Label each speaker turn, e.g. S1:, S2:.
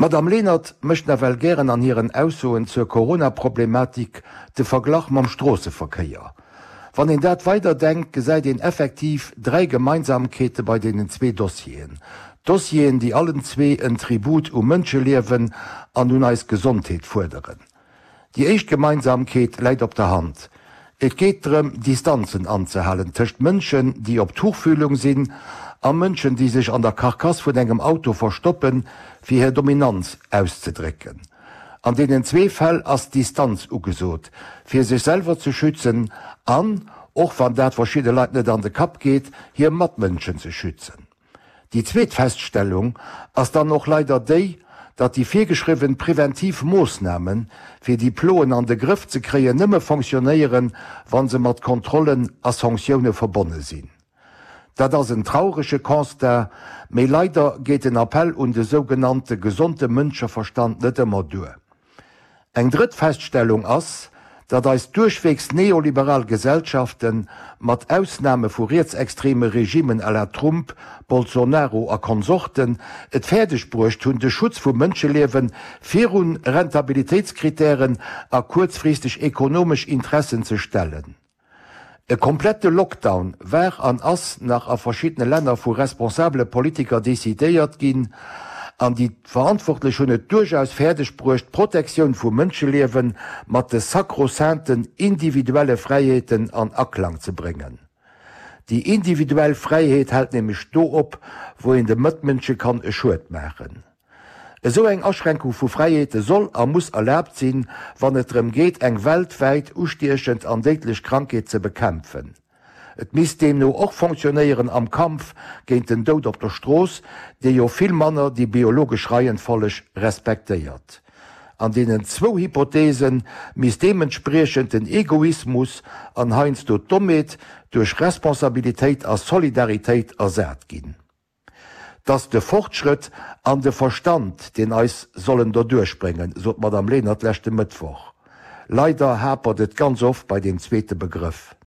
S1: D'Madame Lenert mécht nawell gären an hiren Aussoen zur Corona-Problematik de Verglach mam Stroosseverkéier. Wann een dat weider denkt, gesäit een effektiv 3 Gemeinsamkeete bei deenen zwee Dossieren. Dossieren, déi allen zwee en Tribut u Mënscheliewen an un eis Gesondheet fuerderen. Déi éischt Gemeinsamkeet läit op der Hand, Et geet drëm, Distanzen anzehalen tëscht Mënschen, déi op Tuchfühlung sinn, a Mënschen, déi sech an der Karkass vun engem Auto verstoppen, fir hir Dominanz auszedrécken. An deenen zwee Fäll ass Distanz ugesot, fir sech selwer ze schützen an, och wann dat verschidde Leit net an de Kapp geet, hir Matmënschen ze schützen. Déi zweet Feststellung ass dann och leider déi, datt déi virgeschriwwen preventiv Moossnamen, fir déi Ploen an de Grëff ze kréien, nëmme fonctionnéieren, wa se mat Kontrollen a Sanktioune verbonne sinn. Dat ass en traurege Constat, mee leider geet den Appell un de sougenannte gesonde Mënscheverstand net ëmmer duer. Eng drëtt Feststellung ass, datt eis duerchweegs neoliberal Gesellschaften, mat Ausname vu rietsextreme Regimen à la Trump, Bolsonaro a Konsorten, et fäerdeg bruecht hunn, de Schutz vu Mënscheliewe virun Rentabilitéitskritären a kuerzfristeg ekonomesch Interessen ze stellen. E komplette Lockdown war an ass nach a verschiddene Länner vu responsabele Politiker decidéiert ginn, an déi Verantwortlech hunn et duerchaus fäerdeg bruecht, d'Protektioun vu Mënscheliewe mat de sakrosainten individuelle Fräiheeten an Aklang ze bréngen. Déi individuell Fräiheet hält nämlech do op, wou een de Mëtmënsche kann e Schued maachen. Esou eng Aschränkung vu Fräiheete soll a muss erlaabt sinn, wann et drëm geet, eng weltwäit ustiechend an déidlech Krankheet ze bekämpfen. Et misst deemno och fonctionnéieren am Kampf géint den Doud op der Strooss, dee jo vill manner déi biologesch Reihenfolleg respektéiert. An deenen zwou Hypothese misst deementspriechend den Egoismus an heiansdo d'Dommheet duerch Responsabilitéit a Solidaritéit ersat ginn. 't ass de Fortschrëtt an de Verstand, deen eis sollen doduerch bréngen, sot d'Madame Lenert leschte Mëttwoch. Leider hapert et ganz oft bei deem zweete Begrëff.